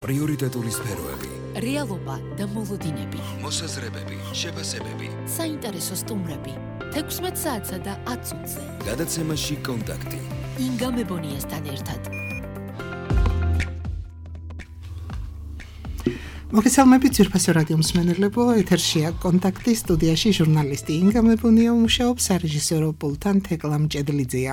პრიორიტეტული სფეროები, რეალობა და მოლოდინები, მოსაზრებები, შეფასებები, საინტერესო სტუმრები, 16 საათსა და 10 წუთზე. გადაცემაში კონტაქტი. ინგა მებონიასთან ერთად. მოგესალმებით ძვირფასო რადიო მსმენელებო, ეთერშია კონტაქტი, სტუდიაში ჟურნალისტი ინგა მებონია მუშაობს, სარეჟისორო პულტთან თეკლა მჭედლიძეა.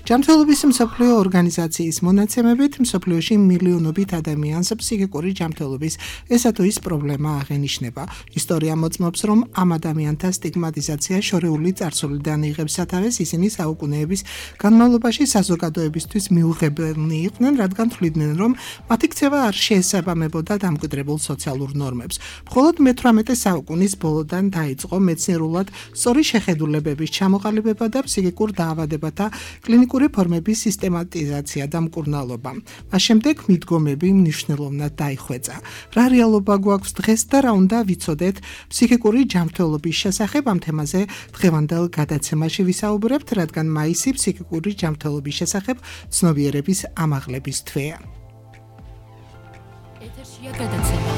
ჯანმრთელობის მსოფლიო ორგანიზაციის მონაცემებით მსოფლიოში მილიონობით ადამიანს ფსიქიკური ჯანმრთელობის ესა თუ ის პრობლემა აღენიშნება. ისტორია მოწმობს, რომ ამ ადამიანთა სტიგმატიზაცია შორეული წარსულიდან იღებს სათავეს, ისინი საუკუნეების განმავლობაში საზოგადოებისთვის მიუღებელნი იყვნენ, რადგან თვლიდნენ, რომ მათი ქცევა არ შეესაბამებოდა დამკვიდრებულ სოციალურ ნორმებს. მხოლოდ მე-18 საუკუნის ბოლოდან დაიწყო მეცნიერულად სწორი შეხედულებების ჩამოყალიბება და ფსიქიკურ დაავადებათა კლინიკური ფორმების სისტემატიზაცია და მკურნალობა. მას შემდეგ მიდგომები მნიშვნელოვნად დაიხვეწა. რა რეალობა გვაქვს დღეს და რა უნდა ვიცოდეთ ფსიქიკური ჯანმრთელობის შესახებ, ამ თემაზე დღევანდელ გადაცემაში ვისაუბრებთ, რადგან მაისი ფსიქიკური ჯანმრთელობის შესახებ ცნობიერების ამაღლების თვეა. ეთერშია გადაცემა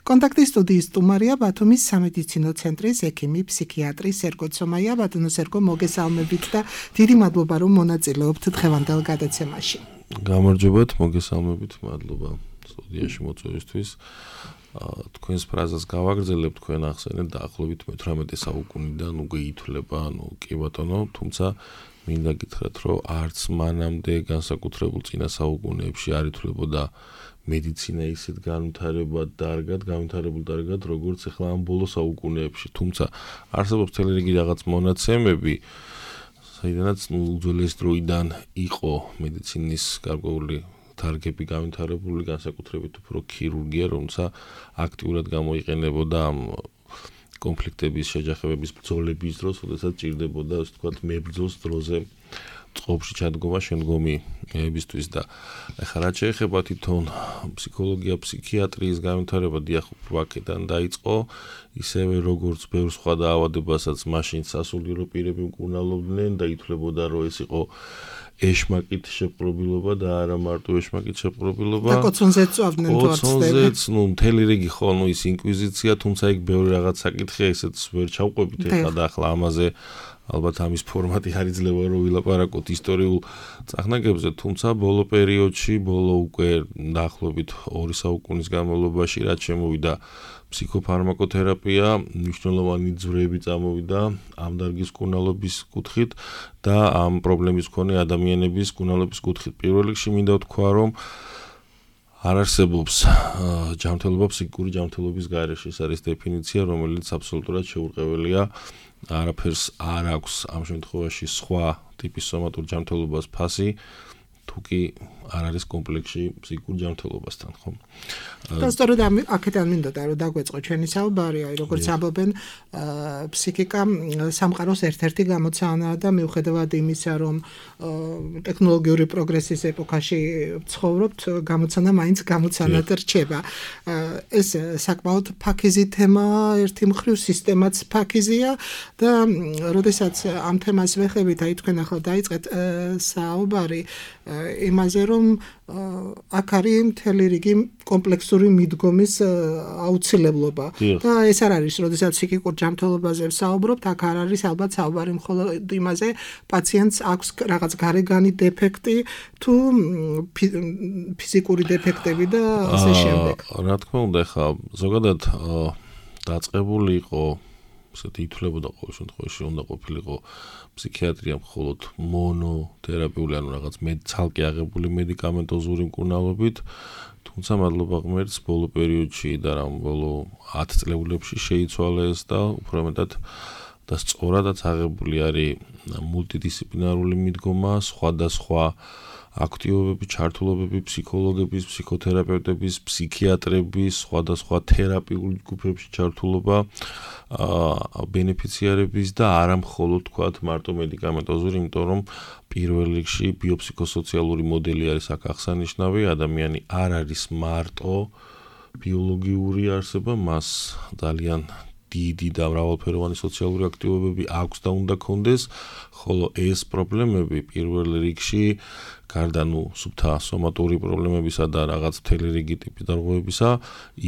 კონტაქტის სტუდიის სტუმარია ბათუმის სამედიცინო ცენტრის ექიმი, ფსიქიატრი სერგო ცომაია. ბატონო სერგო, მოგესალმებით და დიდი მადლობა, რომ მონაწილეობთ დღევანდელ გადაცემაში. გამარჯობათ, მოგესალმებით, მადლობა სტუდიაში მოწვევისთვის. თქვენს ფრაზას გავაგრძელებ, თქვენ ახსენეთ დაახლოებით მე-18 საუკუნიდან უკვე ითვლება, კი ბატონო, თუმცა მინდა გითხრათ, რომ არც მანამდე განსაკუთრებულ წინა საუკუნეებში არ ითვლებოდა მედიცინა ისეთ განვითარებულ დარგად, როგორც ახლა ამ ბოლო საუკუნეებში. თუმცა არსებობს მთელი რიგი რაღაც მონაცემები, საიდანაც უძველეს დროიდან იყო მედიცინის გარკვეული დარგები განვითარებული, განსაკუთრებით უფრო ქირურგია, რომელსაც აქტიურად გამოიყენებოდა ამ კონფლიქტების, შეჯახებების, ბრძოლების დროს, როდესაც ჭირდებოდა, ასე ვთქვათ, მებრძოლს დროზე წყობაში ჩადგომა შემდგომი მეებისთვის და ახლა რაც შეეხება თვითონ ფსიქოლოგია, ფსიქიატრიის განვითარება, დიახ, აქედან დაიწყო, ისევე როგორც ბევრ სხვა დაავადებასაც მაშინ სასულიერო პირები მკურნალობდნენ და ითვლებოდა, რომ ეს იყო ეშმაკით შეპყრობილობა და არა მარტო ეშმაკით შეპყრობილობა. და კოცონზეც წავდნენ თუ არ ცდება. მთელი რიგი ხო, ის ინკვიზიცია, თუმცა იქ ბევრი რაღაც საკითხია, ესეც ვერ ჩავყვებით ახლა და ახლა ამაზე ალბათ ამის ფორმატი არ იძლევა რომ ვილაპარაკოთ ისტორიულ წახნაგებზე, თუმცა ბოლო პერიოდში, უკვე დაახლოებით 2 საუკუნის განმავლობაში, რაც შემოვიდა ფსიქოფარმაკოთერაპია, მნიშვნელოვანი ძვრები წამოვიდა ამ დარგის მკურნალობის კუთხით და ამ პრობლემის მქონე ადამიანების მკურნალობის კუთხით. პირველ რიგში მინდა ვთქვა, რომ არ არსებობს ჯანმრთელობა ფსიქიკური ჯანმრთელობის გარეშე. ეს არის დეფინიცია, რომელიც აბსოლუტურად შეურყეველია. არაფერს არ აქვს ამ შემთხვევაში სხვა ტიპის სომატურ ჯანმრთელობას ფასი, თუკი არ არის კომპლექსში ფსიქიკურ ჯანმრთელობასთან, ხო? და სწორედ აქედან მინდოდა რომ დაგვეწყო ჩვენი საუბარი, როგორც ამბობენ, ფსიქიკა სამყაროს ერთ-ერთი გამოცანაა და მიუხედავად იმისა, რომ ტექნოლოგიური პროგრესის ეპოქაში ცხოვრობთ, გამოცანა მაინც გამოცანად რჩება. ეს საკმაოდ ფაქიზი თემაა, ერთი მხრივ სისტემაც ფაქიზია და როდესაც ამ თემას ვეხებით, აი თქვენ ახლა დაიწყეთ საუბარი იმაზე, რომ აქ არის მთელი რიგი კომპლექსური მიდგომის აუცილებლობა და ეს არ არის, როდესაც ფსიქიკურ ჯანმრთელობაზე ვსაუბრობთ, აქ არ არის ალბათ საუბარი მხოლოდ იმაზე, პაციენტს აქვს რაღაც გარეგანი დეფექტი თუ ფიზიკური დეფექტები და ასე შემდეგ. რა თქმა უნდა, ხა ზოგადად დაწყებული იყო, ესეთი ითვლებოდა ყოველ შემთხვევაში უნდა ყოფილიყო ფსიქიატრია მხოლოდ მონოთერაპიული, ანუ რაღაც ცალკე აღებული მედიკამენტოზური მკურნალობით, თუმცა მადლობა ღმერთს ბოლო პერიოდში და ბოლო 10 წლებში შეიცვალა ეს და უფრო მეტად და სწორადაც აღებული არის მულტიდისციპლინარული მიდგომა, სხვადასხვა აქტივობები, ჩართულობები ფსიქოლოგების, ფსიქოთერაპევტების, ფსიქიატრების, სხვადასხვა თერაპიულ ჯგუფებში ჩართულობა ბენეფიციარების და არა მხოლოდ თქვათ მარტო მედიკამენტოზური, იმიტომ რომ პირველ რიგში ბიოფსიქოსოციალური მოდელი არის აქ აღსანიშნავი, ადამიანი არ არის მარტო ბიოლოგიური არსება, მას ძალიან დიდი და მრავალფეროვანი სოციალური აქტივობები აქვს და უნდა კონდეს, ხოლო ეს პრობლემები პირველ რიგში გარდა სუფთა სომატური პრობლემებისა და რაღაც მთელი რიგი ტიპის დარღვევებისა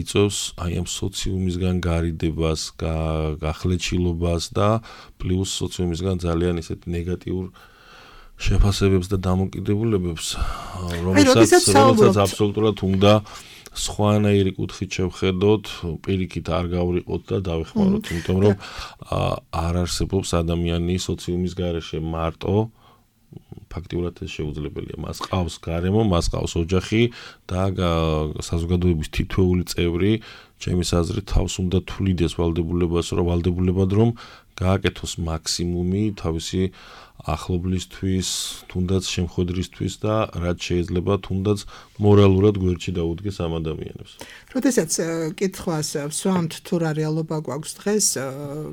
იწვევს აი ამ სოციუმისგან გარიდებას, გახლეჩილობას და პლუს სოციუმისგან ძალიან ისეთ ნეგატიურ შეფასებებს და დამოკიდებულებებს, რომელსაც აბსოლუტურად უნდა სხვანაირი კუთხით შევხედოთ, პირიქით არ გავრიყოთ და დავეხმაროთ, იმიტომ რომ არ არსებობს ადამიანი სოციუმის გარეშე მარტო, ფაქტიურად ეს შეუძლებელია. მას ყავს გარემო, მას ყავს ოჯახი და საზოგადოების თითოეული წევრი, ჩემის აზრით, თავს უნდა თვლიდეს ვალდებულებად, რომ გააკეთოს მაქსიმუმი თავისი ახლობლისთვის, თუნდაც შემხვედრისთვის და რაც შეიძლება თუნდაც მორალურად გვერდში დაუდგეს ამ ადამიანებს. როდესაც კითხვას ვსვამთ თუ რა რეალობა გვაქვს დღეს,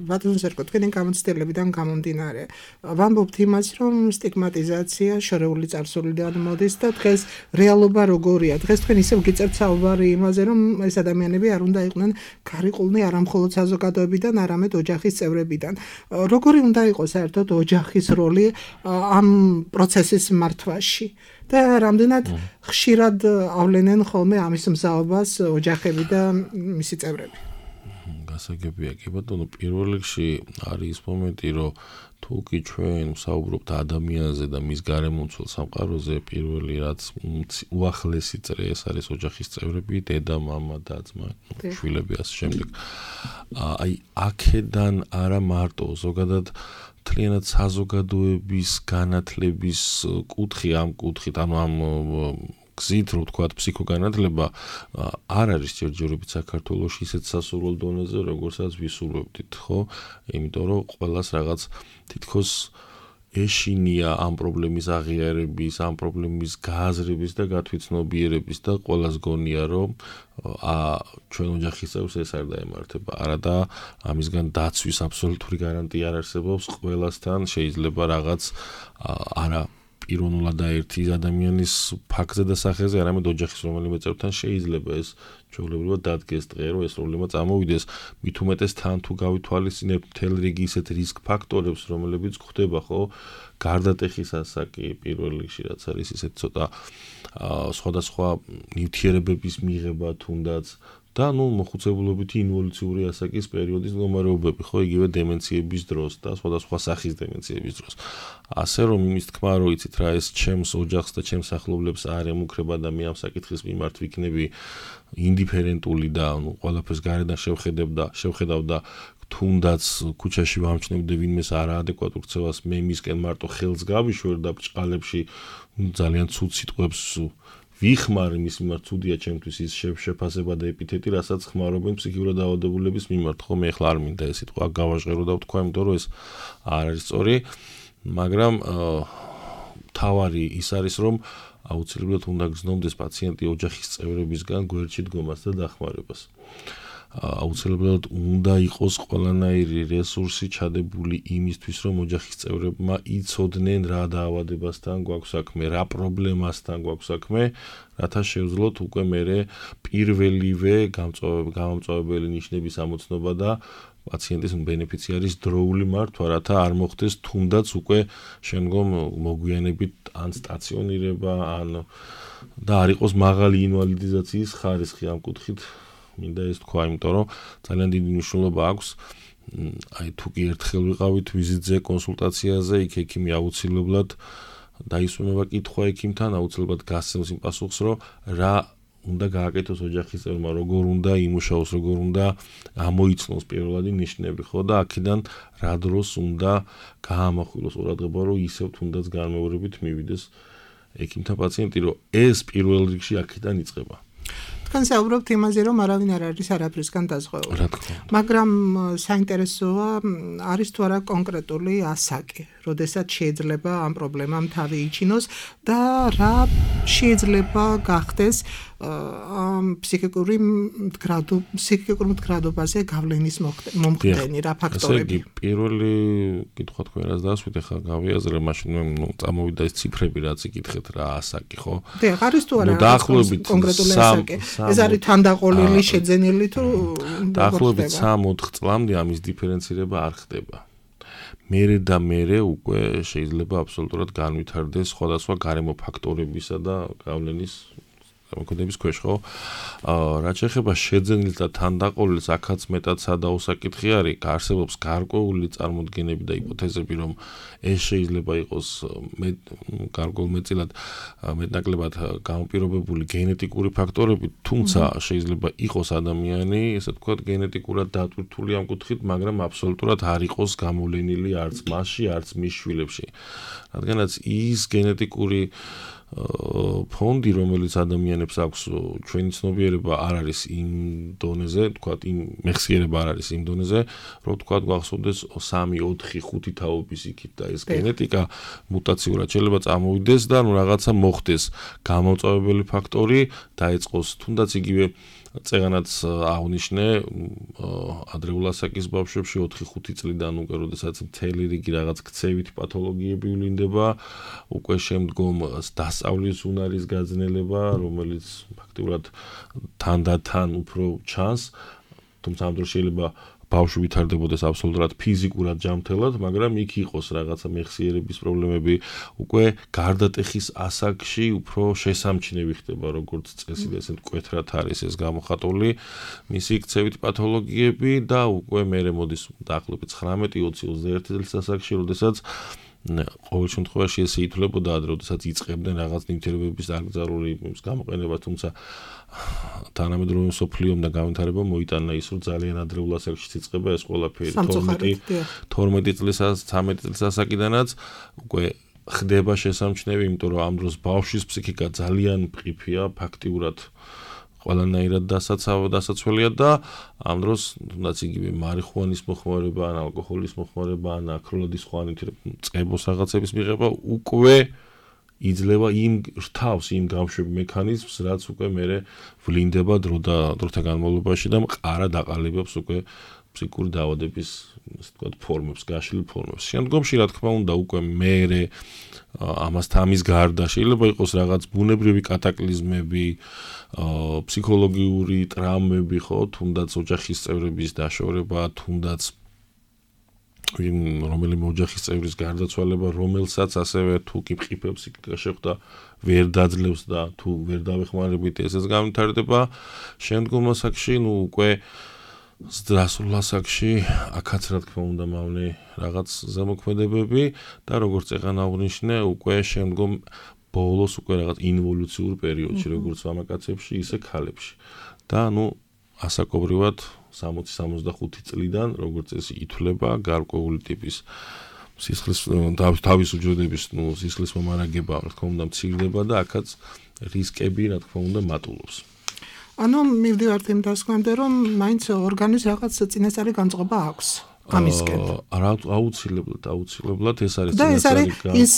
ბატონო ზერკო, თქვენი გამოცდილებიდან გამომდინარე, ვამბობთ იმას, რომ სტიგმატიზაცია შორეული წარსულიდან მოდის და დღეს რეალობა როგორია? დღეს თქვენ ისევ გიწერთ საუბარი იმაზე, რომ ეს ადამიანები არ უნდა იყვნენ გარიყულნი არა მხოლოდ საზოგადოებიდან, არამედ ოჯახის წევრებიდან. როგორი უნდა იყოს საერთოდ ოჯახის როლი ამ პროცესის მართვაში და რამდენად ხშირად ავლენენ ხოლმე ამის მზაობას ოჯახები და მისი წევრები? გასაგებია კი ბატონო, პირველ რიგში არის ის მომენტი, რომ თუ კი ჩვენ ვსაუბრობთ ადამიანზე და მის გარემომცველ სამყაროზე, პირველი რაც უახლესი წრე ეს არის ოჯახის წევრები, დედა, მამა და ძმა, შვილები ასე შემდეგ. აი აქედან არა მარტო ზოგადად მთლიანად საზოგადოების განათლების კუთხი ამ კუთხით, ანუ ამ გზით, რომ ვთქვათ, ფსიქოგანათლება არ არის ჯერჯერობით საქართველოში ისეთ სასურველ დონეზე, როგორცაც ვისურვებდით, ხო? იმიტომ რომ ყველას რაღაც თითქოს ეშინია ამ პრობლემის აღიარების, ამ პრობლემის გააზრების და გათვითცნობიერების და ყველას გონია, რომ ჩვენ ოჯახის წევრს ეს არ დაემართება. არა და ამისგან დაცვის აბსოლუტური გარანტია არ არსებობს. ყველასთან შეიძლება რაღაც არა პიროვნულად ერთი ადამიანის ფაქტზე და სახეზე, არამედ ოჯახის რომელიმე წევრთან შეიძლება ეს ჩვეულებრივად დადგეს დღე, რომ ეს პრობლემა წამოვიდეს. მით უმეტეს თან თუ გავითვალისწინებთ მთელ რიგი ისეთ რისკ ფაქტორებს, რომლებიც გვხვდება, ხო, გარდატეხის ასაკი პირველ რიგში, რაც არის ისეთ ცოტა სხვადასხვა ნივთიერებების მიღება თუნდაც და მოხუცებულობითი ინვოლუციური ასაკის პერიოდის მდგომარეობები, ხო, იგივე დემენციების დროს და სხვადასხვა სახის დემენციების დროს. ასე რომ იმის თქმა, რომ იცით რა, ეს ჩემს ოჯახს და ჩემს ახლობლებს არ ემუქრება და მე ამ საკითხის მიმართ ვიქნები ინდიფერენტული და ყველაფერს გარედან შევხედავ და თუნდაც ქუჩაში ვამჩნევდი ვინმეს არაადეკვატურ ქცევას, მე მისკენ მარტო ხელს გავიშვერ და ბრჭყალებში ძალიან ცუდ სიტყვებს ვიხმარ იმის მიმართ, ცუდია ჩემთვის ის შეფასება და ეპითეტი, რასაც ხმარობენ ფსიქიურად დაავადებულების მიმართ, ხო, მე ახლა არ მინდა ეს სიტყვა გავაჟღერო და ვთქვა, იმიტომ რომ ეს არ არის სწორი, მაგრამ თავარი ის არის, რომ აუცილებლად უნდა გრძნობდეს პაციენტი ოჯახის წევრებისგან გვერდში დგომას და დახმარებას. აუცილებლად უნდა იყოს ყველანაირი რესურსი ჩადებული იმისთვის, რომ ოჯახის წევრებმა იცოდნენ რა დაავადებასთან გვაქვს საქმე, რა პრობლემასთან გვაქვს საქმე, რათა შევძლოთ უკვე მერე პირველივე გამომწვევებელი ნიშნების ამოცნობა და პაციენტის ბენეფიციარის დროული მართვა, რათა არ მოხდეს თუნდაც უკვე შემდგომ მოგვიანებით ან სტაციონირება, ან და არ იყოს მაღალი ინვალიდიზაციის ხარისხი ამ კუთხით. მინდა ეს თქვა, იმიტომ რომ ძალიან დიდი მნიშვნელობა აქვს. აი თუ კი ერთხელ ვიყავით ვიზიტზე, კონსულტაციაზე, იქ ექიმი აუცილებლად დაისვენება კითხვა ექიმთან, აუცილებლად გასცემს იმ პასუხს, რომ რა უნდა გააკეთოს ოჯახის წევრმა, როგორ უნდა იმუშაოს, როგორ უნდა ამოიცნოს პირველადი ნიშნები, ხო, და აქედან რა დროს უნდა გაამახვილოს ყურადღება, რომ ისევ თუნდაც განმეორებით მივიდეს ექიმთან პაციენტი, რომ ეს პირველ რიგში აქედან იწყება. თქვენ საუბრობთ იმაზე, რომ არავინ არ არის არაფრისგან დაზღვეული. მაგრამ საინტერესოა არის თუ არა კონკრეტული ასაკი, როდესაც შეიძლება ამ პრობლემამ თავი იჩინოს და რა შეიძლება გახდეს ფსიქიკური მდგრადობაზე გავლენის მომხდენი რა ფაქტორები? ესე იგი, პირველი კითხვა თქვენ რაც დასვით, ახლა გავიაზრე, მაშინ მე წამოვიდა ეს ციფრები, რაც იკითხეთ რა ასაკი, ხო? დიახ, არის თუ არა კონკრეტული ასაკი? ეს არის თანდაყოლილი, შეძენილი თუ დაახლოებით 3-4 წლამდე ამის დიფერენცირება არ ხდება. მერე უკვე შეიძლება აბსოლუტურად განვითარდეს სხვადასხვა გარემო ფაქტორებისა და გავლენის მოქმედების ქვეშ, ხო? რაც შეეხება შეძენილს და თანდაყოლილს, აქაც მეტად სადაო საკითხი არის, არსებობს გარკვეული წარმოდგენები და ჰიპოთეზები, რომ ეს შეიძლება იყოს გარკვეულმეტწილად მეტნაკლებად გამოპირობებული გენეტიკური ფაქტორები, თუმცა შეიძლება იყოს ადამიანი, ესე ვთქვათ, გენეტიკურად დატვირთული ამ კუთხით, მაგრამ აბსოლუტურად არ იყოს გამოვლენილი არც მასში, არც მის შვილებში. რადგანაც ის გენეტიკური ფონდი, რომელიც ადამიანებს აქვს, ჩვენი ცნობიერება არ არის იმ დონეზე, თქვათ, იმ მეხსიერება არ არის იმ დონეზე, რომ თქვათ, გვახსოვდეს 3, 4, 5 თაობის იქით და ეს გენეტიკა მუტაციურად შეიძლება წამოვიდეს და რაღაცა მოხდეს, გამომწვევებელი ფაქტორი დაეწყოს, თუნდაც იგივე წეგანაც აღნიშნე ადრეულ ასაკის ბავშვებში 4-5 წლიდან უკვე როდესაც მთელი რიგი რაღაც ქცევითი პათოლოგიები ვლინდება, უკვე შემდგომ დასწავლის უნარის გაძნელება, რომელიც ფაქტიურად თანდათან უფრო ჩანს, თუმცა ამ დროს შეიძლება ბავშვი ვითარდებოდეს აბსოლუტურად ფიზიკურად ჯანმრთელად, მაგრამ იქ იყოს რაღაცა მეხსიერების პრობლემები, უკვე გარდატეხის ასაკში უფრო შესამჩნევი ხდება, როგორც წესი და ესეთ მკვეთრად არის ეს გამოხატული მისი ქცევით პათოლოგიები და უკვე მერე მოდის დაახლოებით 19-20-21 წლის ასაკში, როდესაც ყოველ შემთხვევაში ეს ითვლებოდა ადრე, როდესაც იწყებდნენ რაღაც ნივთიერებების დაკრძალული გამოყენება, თუმცა თანამედროვე მსოფლიომ და განვითარებამ მოიტანა ის, რომ ძალიან ადრეულ ასაკში იწყება ეს ყველაფერი 12 წლის 13 წლის ასაკიდანაც უკვე ხდება შესამჩნევი, იმიტომ რომ ამ დროს ბავშვის ფსიქიკა ძალიან მყიფეა, ფაქტიურად ყველანაირად დასაცველია და ამ დროს თუნდაც იგივე მარიხუანის მოხმარება, ან ალკოჰოლის მოხმარება, ან აქროლადის სხვა წებოს რაღაცების მიღება უკვე იძლევა იმ რთავს, იმ გამშვებ მექანიზმს, რაც უკვე მერე ვლინდება დროთა განმავლობაში და მყარა დაყალიბებს უკვე ფსიქიკური დაავადების, ასე ვთქვათ, ფორმებს, გაშლილ ფორმებს. შემდგომში, რა თქმა უნდა, უკვე მერე ამის გარდა შეიძლება იყოს რაღაც ბუნებრივი კატაკლიზმები, ფსიქოლოგიური ტრაუმები, ხო, თუნდაც ოჯახის წევრების დაშორება, თუნდაც რომელიმე ოჯახის წევრის გარდაცვალება, რომელსაც ასევე თუ კი მყიფე ფსიქიკა შეხვდა, ვერ დაძლევს და თუ ვერ დავეხმარებით ესეც განვითარდება. შემდგომ ასაკში, უკვე ზრდასრულ ასაკში, აქაც რა თქმა უნდა მავნე რაღაც ზემოქმედებები და როგორც წეგან აღნიშნე, უკვე შემდგომ ბოლოს უკვე რაღაც ინვოლუციურ პერიოდში, როგორც მამაკაცებში, ისე ქალებში. და ასაკობრივად 60-65 წლიდან, როგორც წესი, ითვლება გარკვეული ტიპის სისხლის თავის უჯრედების, სისხლის მომარაგება, რა თქმა უნდა, მცირდება და აქაც რისკები, რა თქმა უნდა, მატულობს. მივდივართ იმ დასკვნამდე, რომ მაინც ორგანიზმს რაღაც წინასწარი განწყობა აქვს. ამისკენ. აუცილებლად ეს არის წინასწარი განწყობა. ის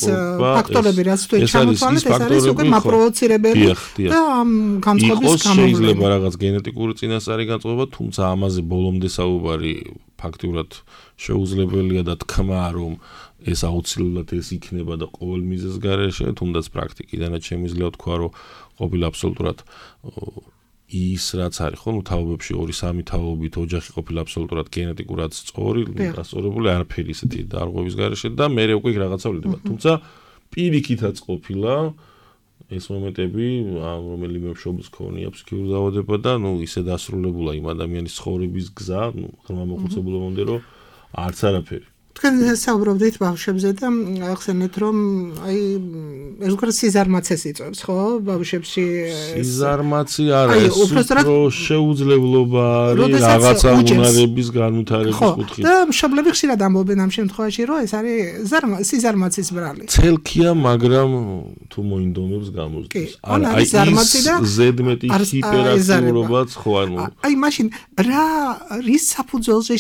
ფაქტორები, რაც თუ ჩამოთვალეთ, ეს არის უკვე მაპროვოცირებელი და ამ განწყობის გამოვლენა. შეიძლება რაღაც გენეტიკური წინასწარი განწყობა, თუმცა ამაზე ბოლომდე საუბარი ფაქტიურად შეუძლებელია და თქმა, რომ ეს აუცილებლად ეს იქნება და ყოველ მიზეზს გარეშე, თუნდაც პრაქტიკიდანაც შემიძლია თქვა, რომ ყოფილი აბსოლუტურად ის რაც არის, ხო, თაობებში 2-3 თაობით ოჯახი ყოფილა აბსოლუტურად გენეტიკურად სწორი, დასწორებული არაფერი ისეთი დარღვევის გარეშე და მე უკვე რაღაცა ვლინდება. თუმცა პირიქითაც ყოფილა ეს მომენტები, რომელიმე მშობელს ქონია ფსიქიკური დაავადება და ისე დასრულებულა იმ ადამიანის ცხოვრების გზა, ღრმა მოხუცებულობამდე, რომ არც არაფერი. თქვენ საუბრობდით ბავშვებზე და ახსენეთ, რომ ეს უკვე სიზარმაცეს იწვევს, ხო? ბავშვებში სიზარმაცე არა, ეს უფრო შეუძლებლობა არის რაღაცა უნარების განვითარების კუთხით. და მშობლები ხშირად ამბობენ ამ შემთხვევაში, რომ ეს არის სიზარმაცის ბრალი. ცელქია, მაგრამ თუ მოინდომებს გამოსდის. ზედმეტი ჰიპერაქტიურობაც ხო მაშინ რის საფუძველზე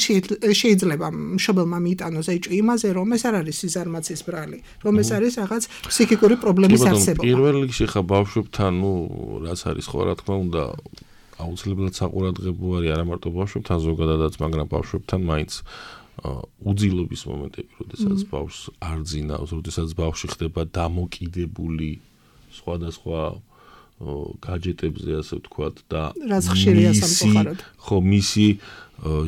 შეიძლება მშობელმა მიიტანოს ეჭვი იმაზე, რომ ეს არ არის სიზარმაცის ბრალი, რომ ეს არის რაღაც ფსიქიკური პრობლემის არსებობა. პირველ რიგში ხა ბავშვებთან, რაც არის ხო, რა თქმა უნდა, აუცილებლად საყურადღებო არის არა მარტო ბავშვებთან ზოგადადაც, მაგრამ ბავშვებთან მაინც უძილობის მომენტები, როდესაც ბავშვს არ ძინავს, როდესაც ბავშვი ხდება დამოკიდებული სხვადასხვა გაჯეტებზე, ასე ვთქვათ, და რაც ხშირია სამწუხაროდ. ხო, მისი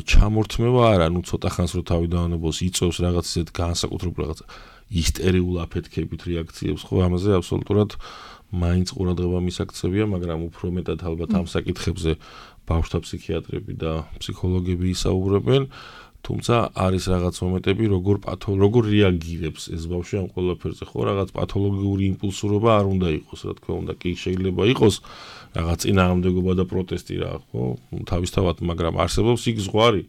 ჩამორთმევა არა, ნუ ცოტა ხანს რო თავი დაანებოს, იწევს რაღაც ისეთ განსაკუთრებულ რაღაც ისტერიულ აფეთქებით რეაქციებს, ხო, ამაზე აბსოლუტურად მაინც ყურადღება მისაქცევია, მაგრამ უფრო მეტად ალბათ ამ საკითხებზე ბავშვთა ფსიქიატრები და ფსიქოლოგები ისაუბრებენ. თუმცა არის რაღაც მომენტები, როგორ რეაგირებს ეს ბავშვი ამ ყველაფერზე, ხო, რაღაც პათოლოგიური იმპულსურობა არ უნდა იყოს, რა თქმა უნდა, კი შეიძლება იყოს რაღაც წინააღმდეგობა და პროტესტი რა, ხო, თავისთავად, მაგრამ არსებობს იქ ზღვარი,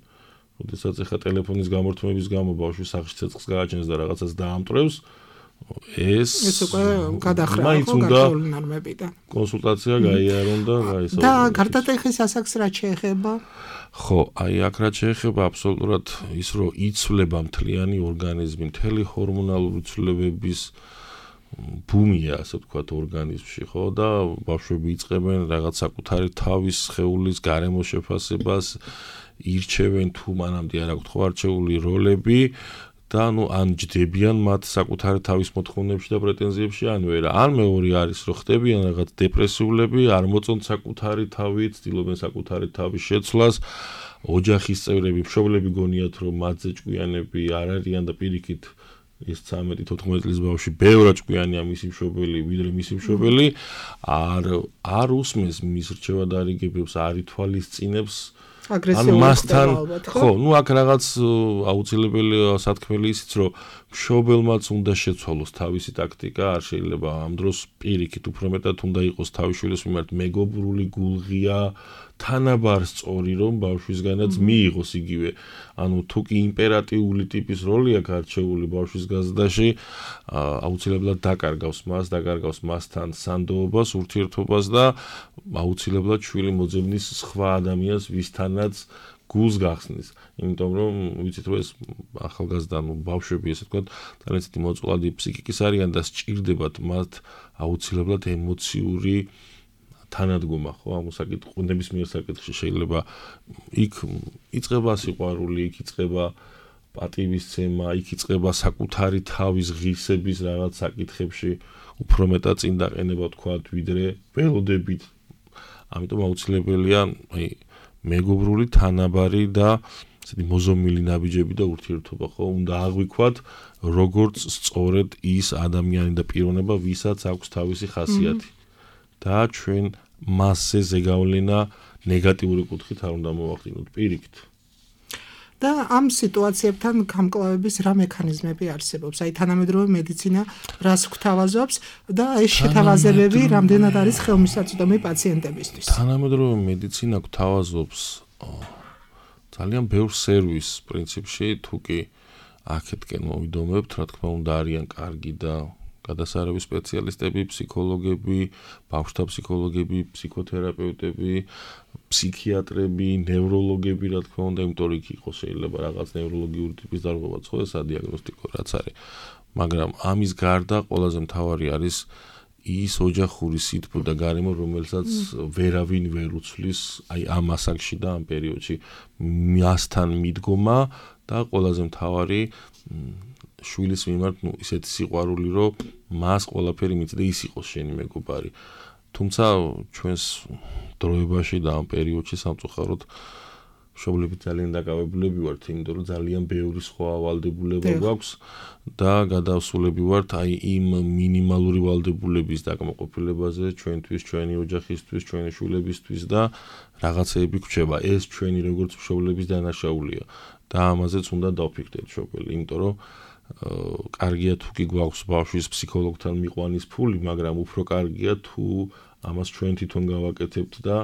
როდესაც ახლა ტელეფონის გამორთმების გამო ბავშვი სახში ცეცხლს გააჩენს და რაღაცას დაამტვრევს, ეს უკვე გადახრა, ხო, გარკვეული ნორმები და კონსულტაცია გაიარონ და გაისაუბრონ. და გარდატეხის ასაკს რა შეეხება? ხო, აი აქ რა შეეხება აბსოლუტურად ის, რომ იცვლება მთლიანი ორგანიზმი, მთელი ჰორმონალური ცვლილებების ბუმია, ასე ვთქვათ, ორგანიზმში, ხო, და ბავშვები იწყებენ რაღაც საკუთარი თავის სხეულის გარემოს შეფასებას, ირჩევენ თუ მანამდე არ აქვთ ხო არჩეული როლები და ან ჯდებიან მათ საკუთარი თავის მოთხოვნებში და პრეტენზიებში, ან ვერა. ან მეორე არის, რომ ხდებიან რაღაც დეპრესიულები, არ მოწონთ საკუთარი თავი, ცდილობენ საკუთარი თავის შეცვლას, ოჯახის წევრები, მშობლები გონიათ, რომ მათზე ჭკვიანები არ არიან და პირიქით ეს 13-14 წლის ბავშვი ბევრად ჭკვიანია მისი მშობელი, ვიდრე მისი მშობელი, არ უსმენს მის რჩევადარიგებებს, არ ითვალისწინებს მასთან, ხო, ნუ აქ რაღაც აუცილებელია სათქმელი ისიც, რომ მშობელმაც უნდა შეცვალოს თავისი ტაქტიკა, არ შეიძლება ამ დროს პირიქით უფრო მეტად უნდა იყოს თავის შვილის მიმართ მეგობრული, გულღია, თანაბარ სწორი, რომ ბავშვისგანაც მიიღოს იგივე. ანუ თუ კი იმპერატიული ტიპის როლი აქვს არჩეული ბავშვის გაზრდაში, აუცილებლად დაკარგავს მასთან სანდოობას, ურთიერთობას და აუცილებლად შვილი მოძებნის სხვა ადამიანს, ვისთანაც გულს გახსნის. იმიტომ რომ ვიცით რომ ეს ახალგაზრდა, ბავშვები, ესე ვთქვათ, ძალიან ცივი მოწყვლადი ფსიქიკის არიან და სჭირდებათ მათ აუცილებლად ემოციური თანადგომა, ხო, ამ ნებისმიერ საკითხში შეიძლება იქ იწყება სიყვარული, იქ იწყება პატივისცემა, იქ იწყება საკუთარი თავის ღირსების რაღაც საკითხებში უფრო მეტად წინ დაყენება, ვთქვათ, ვიდრე ველოდებით. ამიტომ აუცილებელია მეგობრული, თანაბარი და ესეთი მოზომილი ნაბიჯები და ურთიერთობა, ხო, უნდა აღვიქვათ როგორც სწორედ ის ადამიანი და პიროვნება, ვისაც აქვს თავისი ხასიათი. და ჩვენ მასზე ზეგავლენა ნეგატიური კუთხით არ უნდა მოვახდინოთ პირიქით. და ამ სიტუაციებთან გამკლავების რა მექანიზმები არსებობს? აი თანამედროვე მედიცინა რას გვთავაზობს და ეს შეთავაზებები რამდენად არის ხელმისაწვდომი პაციენტებისთვის? თანამედროვე მედიცინა გვთავაზობს ძალიან ბევრ სერვისს პრინციპში, თუ კი აქეთკენ მოვიდომებთ, რა თქმა უნდა არიან კარგი და გადასარევი სპეციალისტები, ფსიქოლოგები, ბავშვთა ფსიქოლოგები, ფსიქოთერაპევტები, ფსიქიატრები, ნევროლოგები, რა თქმა უნდა, იმიტომ რომ იქ იყოს შეიძლება რაღაც ნევროლოგიური ტიპის დარღვევაც, ხო, ეს ადიაგნოსტიკო რაც არის. მაგრამ ამის გარდა ყველაზე მთავარი არის ის ოჯახური სითბო და გარემო, რომელსაც ვერავინ ვერ უცვლის, აი ამ ასაკში და ამ პერიოდში მასთან მიდგომა და ყველაზე მთავარი შვილის მიმართ, ისეთი სიყვარული, რომ მას ყველაფერი მიწდა ის იყოს შენი მეგობარი. თუმცა ჩვენს დროებაში და ამ პერიოდში სამწუხაროდ მშობლები ძალიან დაკავებულები ვართ, იმიტომ რომ ძალიან ბევრი სხვა ვალდებულება გვაქვს და გადავსულები ვართ აი იმ მინიმალური ვალდებულების დაკმაყოფილებაზე ჩვენთვის, ჩვენი ოჯახისთვის, ჩვენი შვილებისთვის და რაღაცეები გვჩება. ეს ჩვენი როგორც მშობლების დანაშაულია და ამაზეც უნდა დავფიქრდეთ მშობელი, იმიტომ რომ კარგია თუ კი გვაქვს ბავშვის ფსიქოლოგთან მიყვანის ფული, მაგრამ უფრო კარგია თუ ამას ჩვენ თვითონ გავაკეთებთ და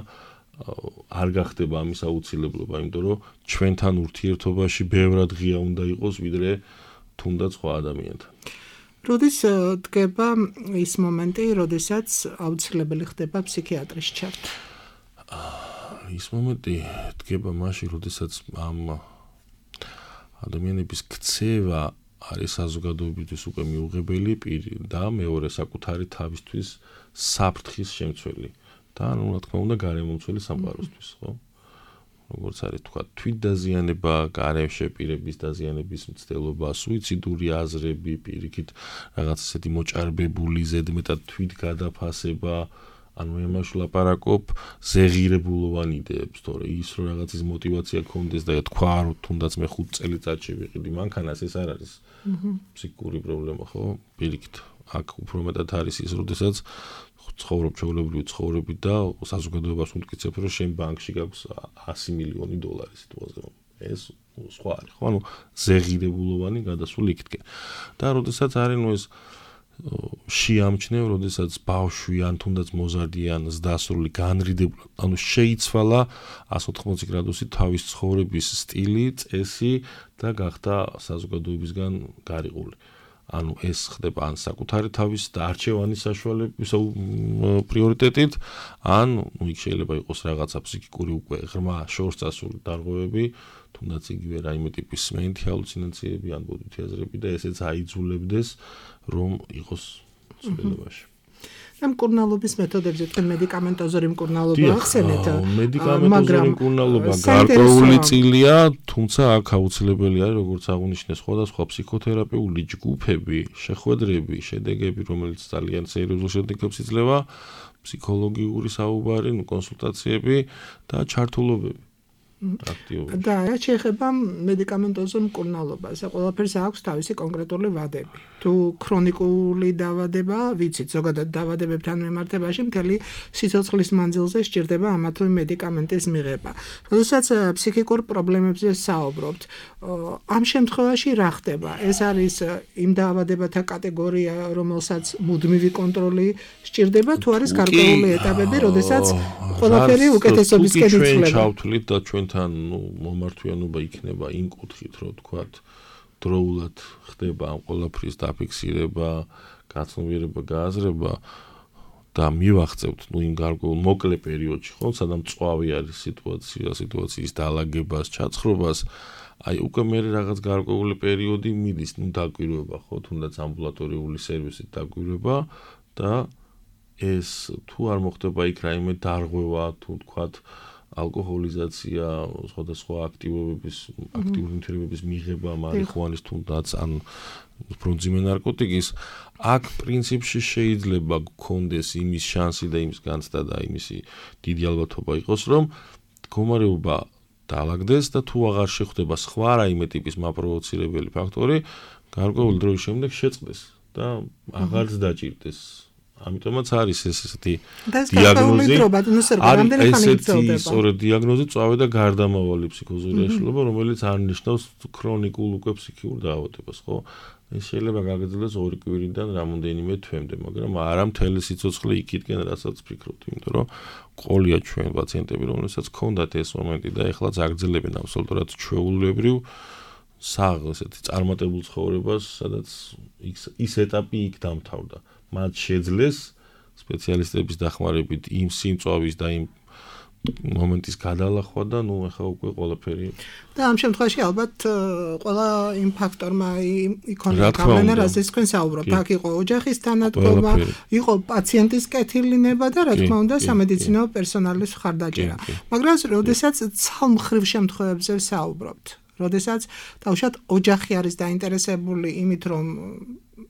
არ გახდება ამის აუცილებლობა, იმიტომ რომ ჩვენთან ურთიერთობაში ბევრად ღია უნდა იყოს, ვიდრე თუნდაც სხვა ადამიანთან. როდის დგება ის მომენტი, როდესაც აუცილებელი ხდება ფსიქიატრის ჩართვა? ის მომენტი დგება მაშინ, როდესაც ამ ადამიანების ქცევა არის საზოგადოებისთვის უკვე მიუღებელი პირი და მეორე საკუთარი თავისთვის საფრთხის შემცველი. და რა თქმა უნდა გარემომცველი სამყაროსთვის, ხო? როგორც არის თქვა, თვითდაზიანება, გარემშეპირების დაზიანების მცდელობა, სუიციდური აზრები, პირიქით რაღაც ესეთი მოჭარბებული ზედმეტად თვითგადაფასება, ანუ იმაში ლაპარაკობ ზეღირებულოვანი იდეებს, თორე ის რომ რაღაცის мотиваცია გქონდეს და თქვა რომ თუნდაც მე 5 წელიწადში ვიყიდი მანქანას, ეს არ არის ფსიქიკური პრობლემა, ხო? პირიქით აქ უფრო მეტად არის ის, როდესაც ცხოვრობ ჩვეულებრივი ცხოვრებით და საზოგადოებას უთქიცებ, რომ შენ ბანკში გაქვს 100 მილიონი დოლარი სიტუაზე. ეს სხვა არის, ხო? ანუ ზეღირებულოვანი გადასული იქთკენ. და როდესაც არის ნუ ეს შეამჩნევ, როდესაც ბავშვი ან თუნდაც მოზარდი ან ზრდასრული განრიდებული, ანუ შეიცვალა 180 გრადუსით თავის ცხოვრების სტილი, წესი და გახდა საზოგადოებისგან გარიყული. ანუ ეს ხდება ან საკუთარი თავის არჩევანის საშუალების პრიორიტეტით, ან იქ შეიძლება იყოს რაღაცა ფსიქიკური უკვე ღრმა შორს წასული დარღვევები, თუნდაც იგივე რაიმე ტიპის მენტი ჰალუცინაციები ან ბოდვითი აზრები და ესეც აიძულებდეს რომ იყოს ცვლილებაში. ამ მკურნალობის მეთოდებზე თქვენ მედიკამენტოზური მკურნალობა ახსენეთ, მედიკამენტოზური მკურნალობა გარკვეული წილია, თუმცა აქ აუცილებელი არის, როგორც აღნიშნე, სხვადასხვა ფსიქოთერაპიული ჯგუფები, შეხვედრები, შედეგები, რომელიც ძალიან სერიოზულ შედეგებს იძლევა, ფსიქოლოგიური საუბარი, კონსულტაციები და ჩართულობები. და რა შეეხება მედიკამენტოზურ მკურნალობას, ყველაფერს აქვს თავისი კონკრეტული ვადები. თუ ქრონიკული დაავადება, ვიცით, ზოგადად დაავადებებთან მიმართებაში მთელი სიცოცხლის მანძილზე სჭირდება ამა თუ იმ მედიკამენტის მიღება. როდესაც ფსიქიკურ პრობლემებზე საუბრობთ, ამ შემთხვევაში რა ხდება? ეს არის იმ დაავადებათა კატეგორია, რომელსაც მუდმივი კონტროლი სჭირდება, თუ არის გარკვეული ეტაპები, როდესაც ყველაფერი უკეთესობისკენ იცვლება. ჩავთვლით და ჩვენთან მომართვიანობა იქნება იმ კუთხით, რომ თქვათ დროულად ხდება ამ ყველაფრის დაფიქსირება, გაცნობიერება, გააზრება და მივახცევთ იმ გარკვეულ მოკლე პერიოდში, ხო, სადაც მწვავე არის სიტუაციის დაალაგებას, ჩაცხრობას, აი უკვე მე რაღაც გარკვეული პერიოდი მიდის, დაკვირვება, ხო, თუნდაც ამბულატორიული სერვისით დაკვირვება და ეს თუ არ მოხდება იქ რაიმე დარღვევა, თუ თქვათ ალკოჰოლიზაცია, სხვადასხვა აქტიური ნივთიერებების მიღება, მარიხუანის თუნდაც ან მძიმე ნარკოტიკის, აქ პრინციპში შეიძლება გქონდეს იმის შანსი და იმის განცდა და იმისი დიდი ალბათობა იყოს, რომ მდგომარეობა დაალაგდეს და თუ აღარ შეხვდება სხვა რაიმე ტიპის მაპროვოცირებელი ფაქტორი, გარკვეული დროის შემდეგ შეწყდეს და აღარც დაჭირდეს. ამიტომაც არის ესეთი დიაგნოზი. ესეთი სწორედ დიაგნოზი წავე და გარდამავალი ფსიქოზური აშლილობა, რომელიც არ ნიშნავს ქრონიკულ უკვე ფსიქიურ დაავადებას, ხო? ეს შეიძლება გაგრძელდეს 2 კვირიდან რამოდენიმე თვემდე, მაგრამ არა მთელი სიცოცხლე იქითკენ, რასაც ფიქრობთ, იმიტომ რომ ყოლია ჩვენ პაციენტები, რომელსაც ჰქონდათ ეს მომენტი და ეხლაც აგრძელებენ აბსოლუტურად ჩვეულებრივ ესეთი წარმატებულ ცხოვრებას, სადაც ის ეტაპი იქ დამთავრდა. მათ შეძლეს სპეციალისტების დახმარებით იმ სიმწვავის და იმ მომენტის გადალახვა და ნუ ახლა უკვე ყველაფერი. და ამ შემთხვევაში ალბათ ყველა იმ ფაქტორმა იქონია გავლენა, რასაც თქვენ საუბრობთ. აქ იყო ოჯახის თანადგომა, იყო პაციენტის კეთილინება და რა თქმა უნდა სამედიცინო პერსონალის მხარდაჭერა. მაგრამ როდესაც ცალმხრივ შემთხვევებზე საუბრობთ, როდესაც თავშად ოჯახი არის დაინტერესებული იმით, რომ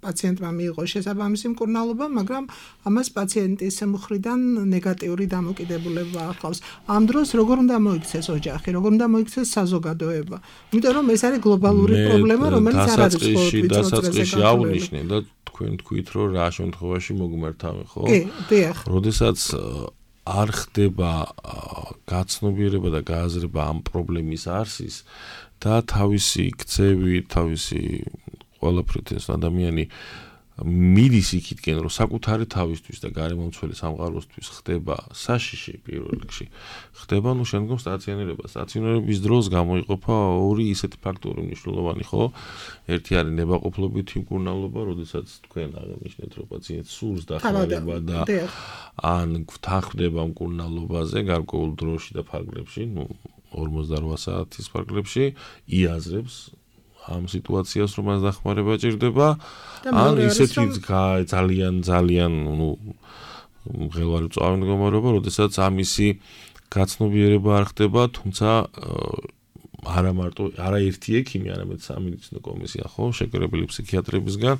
პაციენტმა მიიღოს შესაბამისი მკურნალობა, მაგრამ ამას პაციენტის მხრიდან ნეგატიური დამოკიდებულება ახლავს. ამ დროს როგორ უნდა მოიქცეს ოჯახი, როგორ უნდა მოიქცეს საზოგადოება? იმიტომ რომ ეს არის გლობალური პრობლემა, რომელიც არ არის მხოლოდ დასაწყისში აღნიშნე და თქვენ თქვით, რომ რა შემთხვევაში მოგმართავენ, ხო? კი, დიახ. როდესაც არ ხდება გაცნობიერება და გააზრება ამ პრობლემის არსის და თავისი ქცევი, თავისი ყველაფრით ეს ადამიანი მიდის იქითკენ, რომ საკუთარი თავისთვის და გარემომცველი სამყაროსთვის ხდება საშიში პირველ რიგში. ხდება ნუ შემდგომ სტაციონირება. სტაციონირების დროს გამოიყოფა 2 ისეთი ფაქტორი მნიშვნელოვანი, ხო? ერთი არის ნებაყოფლობითი მკურნალობა, როდესაც თქვენ აღნიშნეთ, რომ პაციენტს სურს დახმარება და ან გვთანხმდება მკურნალობაზე გარკვეულ დროში და ფარგლებში, ნუ 48 საათის ფარგლებში იაზრებს ამ სიტუაციას, რომ მას დახმარება ჭირდება, ან ისეთი ძალიან მღელვარი მწვავე მდგომარეობა, როდესაც ამისი გაცნობიერება არ ხდება, თუმცა არა მარტო არაერთი ექიმი, არამედ სამედიცინო კომისია ხო, შეკრებილი ფსიქიატრებისგან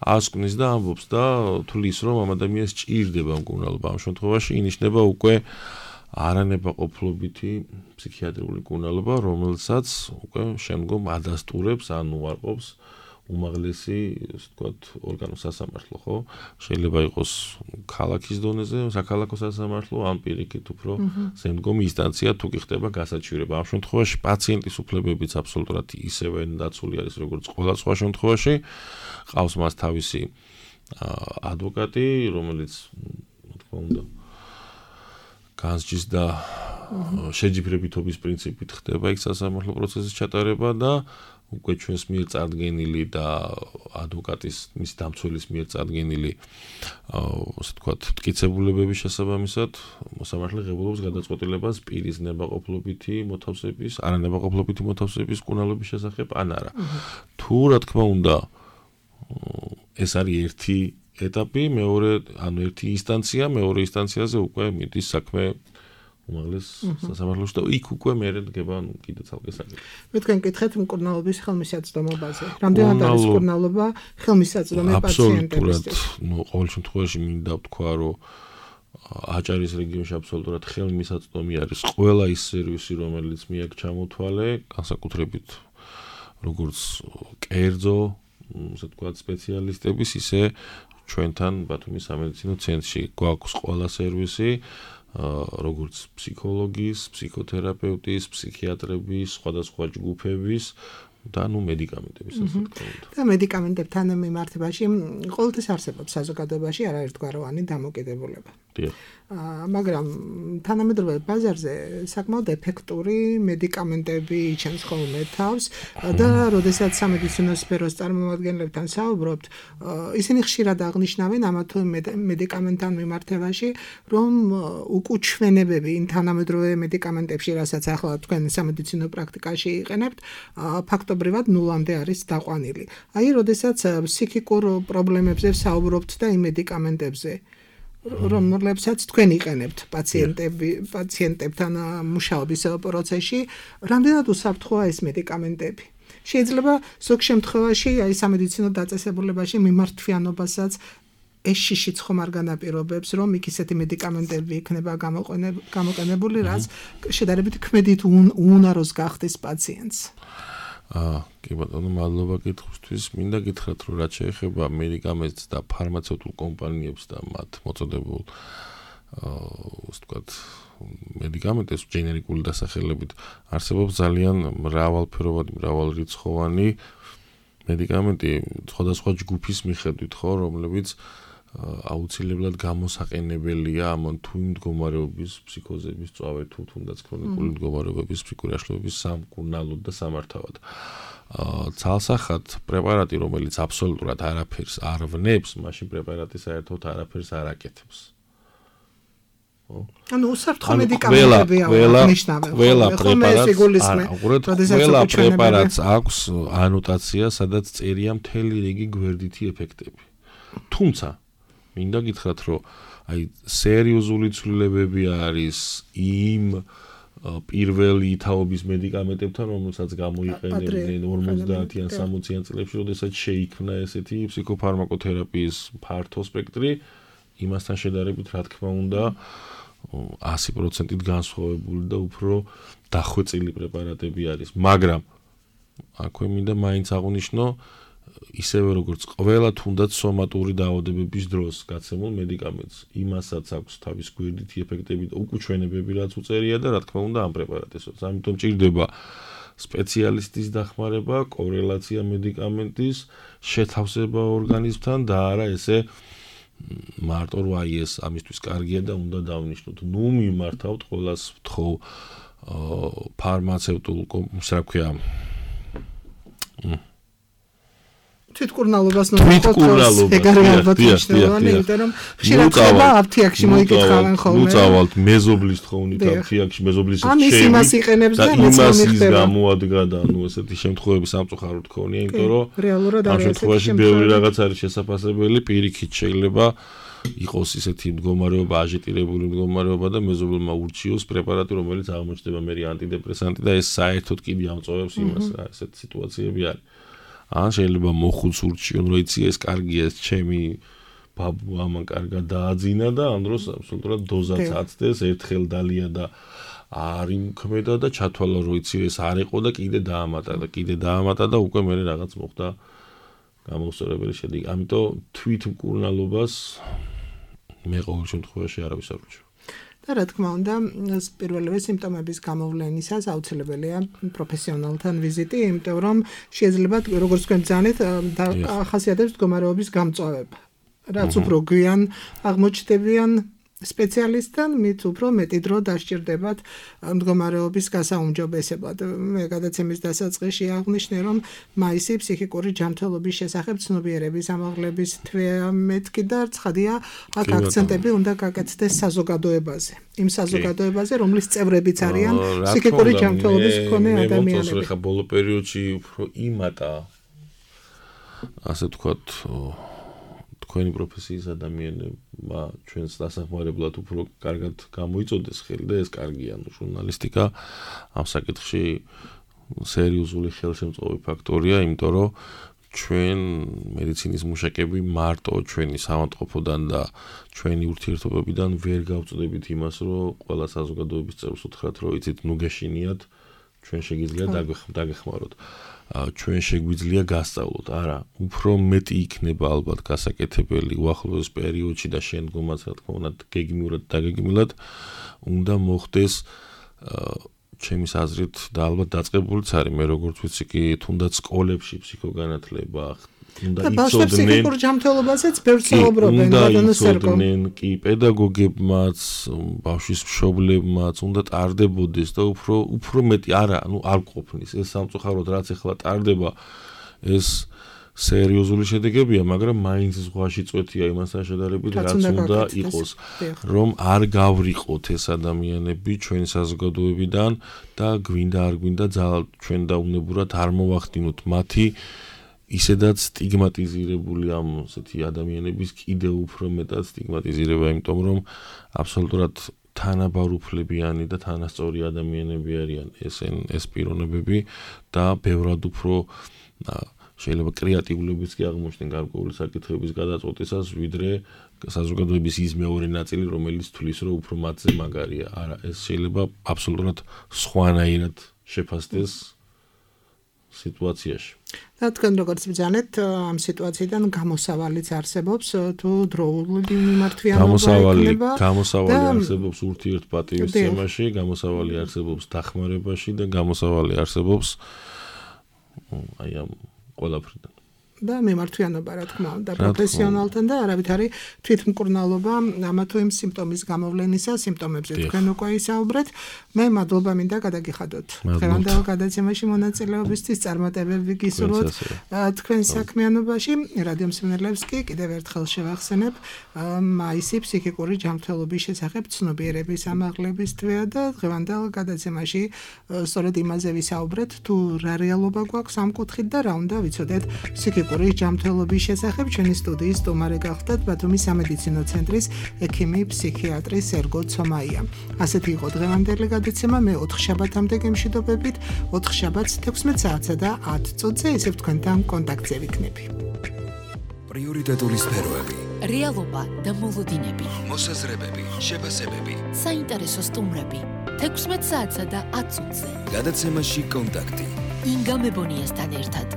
ასკვნის და ამბობს და თulis რომ ამ ადამიანს ჭირდება მკურნალობა ამ შემთხვევაში ინიშნება უკვე არანებაყოფლობითი ფსიქიატრიული მკურნალობა, რომელსაც უკვე შემდგომ ადასტურებს ან უარყოფს უმაღლესი, ასე ვთქვათ, ორგანოს სასამართლო, ხო? შეიძლება იყოს ქალაქის დონეზე, საქალაქო სასამართლო, ან პირიქით უფრო შემდგომი ინსტანცია თუ კი ხდება გასაჩივრება. ამ შემთხვევაში პაციენტის უფლებებიც აბსოლუტურად ისევე დაცული არის, როგორც ყველა სხვა შემთხვევაში. ყავს მას თავისი ადვოკატი, რომელიც, რა თქმა უნდა, განსჯის და შეჯიბრებითობის პრინციპით ხდება იქ სასამართლო პროცესის ჩატარება და უკვე ჩვენს მიერ წარდგენილი და ადვოკატის მის დამცველის მიერ წარდგენილი ასე ვთქვათ მტკიცებულებების შესაბამისად მოსამართლე ღებულობს გადაწყვეტილებას პირის ნებაყოფლობითი მოთავსების, არანებაყოფლობითი მოთავსების მკურნალობის შესახებ ან არა. თუ რა თქმა უნდა ეს არის ერთი ეტაპი, ერთი ინსტანცია, მეორე ინსტანციაზე უკვე მიდის საქმე უმაღლეს სასამართლოში და იქ უკვე მერე დგება კიდე ცალკე საკითხი. მე თქვენ გითხეთ მკურნალობის ხელმისაწვდომობაზე. რამდენად არის მკურნალობა ხელმისაწვდომი პაციენტებისთვის? აბსოლუტურად, ყოველ შემთხვევაში მინდა ვთქვა, რომ აჭარის რეგიონში აბსოლუტურად ხელმისაწვდომი არის ყველა ის სერვისი, რომელიც მიაქვს ჩამოთვალე, განსაკუთრებით როგორც კერძო, ასე ვთქვათ, სპეციალისტების, ისე ჩვენთან ბათუმის სამედიცინო ცენტრში გვაქვს ყველა სერვისი, როგორც ფსიქოლოგის, ფსიქოთერაპევტის, ფსიქიატრების, სხვადასხვა ჯგუფების და მედიკამენტების ასე ვთქვათ. და მედიკამენტებთან მიმართებაში ყოველთვის არსებობს საზოგადოებაში არაერთგვაროვანი დამოკიდებულება. მაგრამ თანამედროვე ბაზარზე საკმაოდ ეფექტური მედიკამენტები იჩენს ხოლმე თავს და როდესაც სამედიცინო სფეროს წარმომადგენლებთან საუბრობთ, ისინი ხშირად აღნიშნავენ ამა თუ მედიკამენტთან მიმართებაში, რომ უკუჩვენებები იმ თანამედროვე მედიკამენტებში, რასაც ახლა თქვენ სამედიცინო პრაქტიკაში იყენებთ, ფაქტობრივად ნულამდე არის დაყვანილი. აი, როდესაც ფსიქიკურ პრობლემებზე საუბრობთ და იმ მედიკამენტებზე რომლებსაც თქვენ იყენებთ პაციენტებთან მუშაობის პროცესში, რამდენად უსაფრთხოა ეს მედიკამენტები? შეიძლება ზოგ შემთხვევაში აი სამედიცინო დაწესებულებაში მიმართვიანობასაც ეს შიშიც ხომ არ განაპირობებს, რომ იქ ისეთი მედიკამენტები იქნება გამოყენებული, რაც შედარებით ქმედით უუნაროს გახდეს პაციენტს. კი ბატონო, მადლობა კითხვისთვის. მინდა გითხრათ, რომ რაც შეეხება მედიკამენტს და ფარმაცევტულ კომპანიებს და მათ მოწოდებულ ასე ვთქვათ, მედიკამენტებს ჯენერიკული დასახელებით არსებობს ძალიან მრავალფეროვანი, მრავალრიცხოვანი მედიკამენტი სხვადასხვა ჯგუფის მიხედვით, ხო, რომლებიც აუცილებლად გამოსაყენებელია ამ თუ მდგომარეობის ფსიქოზების წვავე თუ თუნდაც ქრონიკული მდგომარეობების ფსიქიკური აშლილობის სამკურნალოდ და სამართავად. ცალსახად პრეპარატი, რომელიც აბსოლუტურად არაფერს არ ვნებს, მაშინ პრეპარატი საერთოდ არაფერს არ აკეთებს. ანუ უსაფრთხო მედიკამენტებია აღნიშნავენ. ყველა პრეპარატს აქვს ანოტაცია, სადაც წერია მთელი რიგი გვერდითი ეფექტები. თუმცა მინდა გითხრათ, რომ აი სერიოზული ცვლილებები არის იმ პირველი თაობის მედიკამენტებთან, რომელსაც გამოიყენებდნენ 50-ან 60-იან წლებში, როდესაც შეიქმნა ესეთი ფსიქოფარმაკოთერაპიის ფართო სპექტრი, იმასთან შედარებით, რა თქმა უნდა, 100%-ით განსხვავებული და უფრო დახვეწილი პრეპარატები არის. მაგრამ აქვე მინდა მაინც აღვნიშნო, ისევე როგორც ყველა თუნდაც სომატური დაავადებების დროს გაცემულ მედიკამენტს, იმასაც აქვს თავის გვერდითი ეფექტები და უკუჩვენებები, რაც უწერია და რა თქმა უნდა ამ პრეპარატისას. ამიტომ ჭირდება სპეციალისტის დახმარება, კორელაცია მედიკამენტის, შეთავსება ორგანიზმთან და არა ესე მარტო რომ აი ეს ამისთვის კარგია და უნდა დავნიშნოთ. ნუ მიმართავთ ყველას ვთხოვ ფარმაცევტულ რა ქვია თვითკურნალობას ნორმალურად ეგარი ალბათ მნიშვნელოვანი, იმიტომ რომ ხშირად ხდება აფთიაქში მოიკითხავენ ხოლმე. ნუ წავალთ მეზობლის თხოვნით აფთიაქში, მეზობლის ამის იმას იყენებს და იმასის გამოადგა და ნუ ესეთი შემთხვევები სამწუხაროდ ქონია, იმიტომ რომ ამ შემთხვევაში ბევრი რაღაც არის შესაძლებელი, პირიქით შეიძლება იყოს ისეთი მდგომარეობა, აჟიტირებული მდგომარეობა და მეზობელმა ურჩიოს პრეპარატი, რომელიც აღმოჩნდება მე ანტიდეპრესანტი და ეს საერთოდ კიდე ამწოვებს იმას, რა, ესეთი სიტუაციები არის. ან შეიძლება მოხუც ურჩიონ, რომ იცი ეს კარგია, ეს ჩემი ბაბუ ამან კარგად დააძინა და ამ დროს აბსოლუტურად დოზაც აცდეს, ერთხელ დალია და არ იმქმედა და ჩათვალა, რომ იცი ეს არ იყო და კიდე დაამატა და უკვე მე რაღაც მოხდა გამოსწორებელი შედეგი. ამიტომ თვითმკურნალობას მე ყოველ შემთხვევაში არავის არ ვუჩვევ. და რა თქმა უნდა, პირველივე სიმპტომების გამოვლენისას აუცილებელია პროფესიონალთან ვიზიტი, იმიტომ რომ შეიძლება როგორც თქვენ ბრძანეთ, ახასიათებს მდგომარეობის გამწვავება. რაც უფრო გვიან აღმოჩნდებიან სპეციალისტთან, მით უფრო მეტი დრო დასჭირდებათ მდგომარეობის გასაუმჯობესებლად. მე გადაცემის დასაწყისში აღვნიშნე, რომ მაისი ფსიქიკური ჯანმრთელობის შესახებ ცნობიერების ამაღლების თვეა მეთქი და ცხადია, აქ აქცენტები უნდა გაკეთდეს საზოგადოებაზე. იმ საზოგადოებაზე, რომლის წევრებიც არიან ფსიქიკური ჯანმრთელობის მქონე ადამიანები. მე ხა ბოლო პერიოდში უფრო იმატა ასე ვთქვათ თქვენი პროფესიის ადამიანებმა ჩვენს დასახმარებლად უფრო კარგად გამოიწოდეს ხელი და ეს კარგია, ჟურნალისტიკა ამ საკითხში სერიოზული ხელშემწყობი ფაქტორია, იმიტომ რომ ჩვენ მედიცინის მუშაკები მარტო ჩვენი სამავტყოფოდან და ჩვენი ურთიერთობებიდან ვერ გავწოდებით იმას, რომ ყველა საზოგადოების წევრს უთხრათ, რომ იცით, ნუ გეშინიათ, ჩვენ შეგიძლიათ დაგეხმაროთ. ჩვენ შეგვიძლია გასწავლოთ, არა, უფრო მეტი იქნება ალბათ გასაკეთებელი უახლოეს პერიოდში და შემდგომაც, რა თქმა უნდა, გეგმიურად დაგეგმილად უნდა მოხდეს ჩემის აზრით და ალბათ დაწყებულიც არის, მე როგორც ვიცი კი, თუნდაც სკოლებში ფსიქოგანათლება უნდა იცოდნენ. ფსიქიკურ ჯანმრთელობაზეც ბევრს საუბრობენ, ბატონო სერგო. კი, პედაგოგებმაც, ბავშვის მშობლებმაც უნდა ტარდებოდეს და უფრო მეტი, არა, არ ყოფნის. ეს სამწუხაროდ რაც ახლა ტარდება, ეს სერიოზული შედეგებია, მაგრამ მაინც ზღვაში წვეთია იმასთან შედარებით, რაც უნდა იყოს, რომ არ გავრიყოთ ეს ადამიანები ჩვენი საზოგადოებიდან და გვინდა არ გვინდა ჩვენ დაუნებურად არ მოვახდინოთ მათი ისედაც სტიგმატიზირებული ამ ასეთი ადამიანების კიდევ უფრო მეტად სტიგმატიზირება, იმიტომ რომ აბსოლუტურად თანაბარუფლებიანი და თანასწორი ადამიანები არიან ეს პიროვნებები და ბევრად უფრო შეიძლება კრეატიულებიც კი აღმოჩნდნენ გარკვეული საკითხების გადაწყვეტისას, ვიდრე საზოგადოების ის მეორე ნაწილი, რომელიც თვლის, რომ უფრო მათზე მაგარია. არა, ეს შეიძლება აბსოლუტურად სხვანაირად შეფასდეს სიტუაციაში. და თქვენ როგორც ბრძანეთ, ამ სიტუაციიდან გამოსავალიც არსებობს, თუ დროული მიმართვიანობა იქნება. გამოსავალი არსებობს ურთიერთპატივისცემაში, გამოსავალი არსებობს დახმარებაში და გამოსავალი არსებობს აი ამ ყველაფრიდან. და მიმართვიანობა, რა თქმა უნდა, პროფესიონალთან და არავითარი თვითმკურნალობა ამა თუ იმ სიმპტომის გამოვლენისა, სიმპტომებზე თქვენ უკვე ისაუბრეთ. მე მადლობა მინდა გადაგიხადოთ. დღევანდელ გადაცემაში მონაწილეობისთვის წარმატებები გისურვოთ თქვენ საქმიანობაში. რადიო მსმენელებს კი კიდევ ერთხელ შევახსენებ, მაისი ფსიქიკური ჯანმრთელობის შესახებ ცნობიერების ამაღლების თვეა და დღევანდელ გადაცემაში სწორედ იმაზე ვისაუბრეთ, თუ რა რეალობა გვაქვს ამ კუთხით და რა უნდა ვიცოდეთ ფსიქიკური ჯანმრთელობის შესახებ. ჩვენი სტუდიის სტუმარი გახლდათ ბათუმის სამედიცინო ცენტრის ექიმი ფსიქიატრი სერგო ცომაია. ასეთი იყო დღევანდელი გადაცემა. მე 4 შაბათამდე გემშვიდობებით, 4 შაბათს 16 საათსა და 10 წუთზე ისევ თქვენთან კონტაქტზე ვიქნები. პრიორიტეტული სფეროები, რეალობა და მოლოდინები, მოსაზრებები, შეფასებები, საინტერესო სტუმრები 16 საათსა და 10 წუთზე. გადაცემაში კონტაქტი. ინგა მებონიასთან ერთად.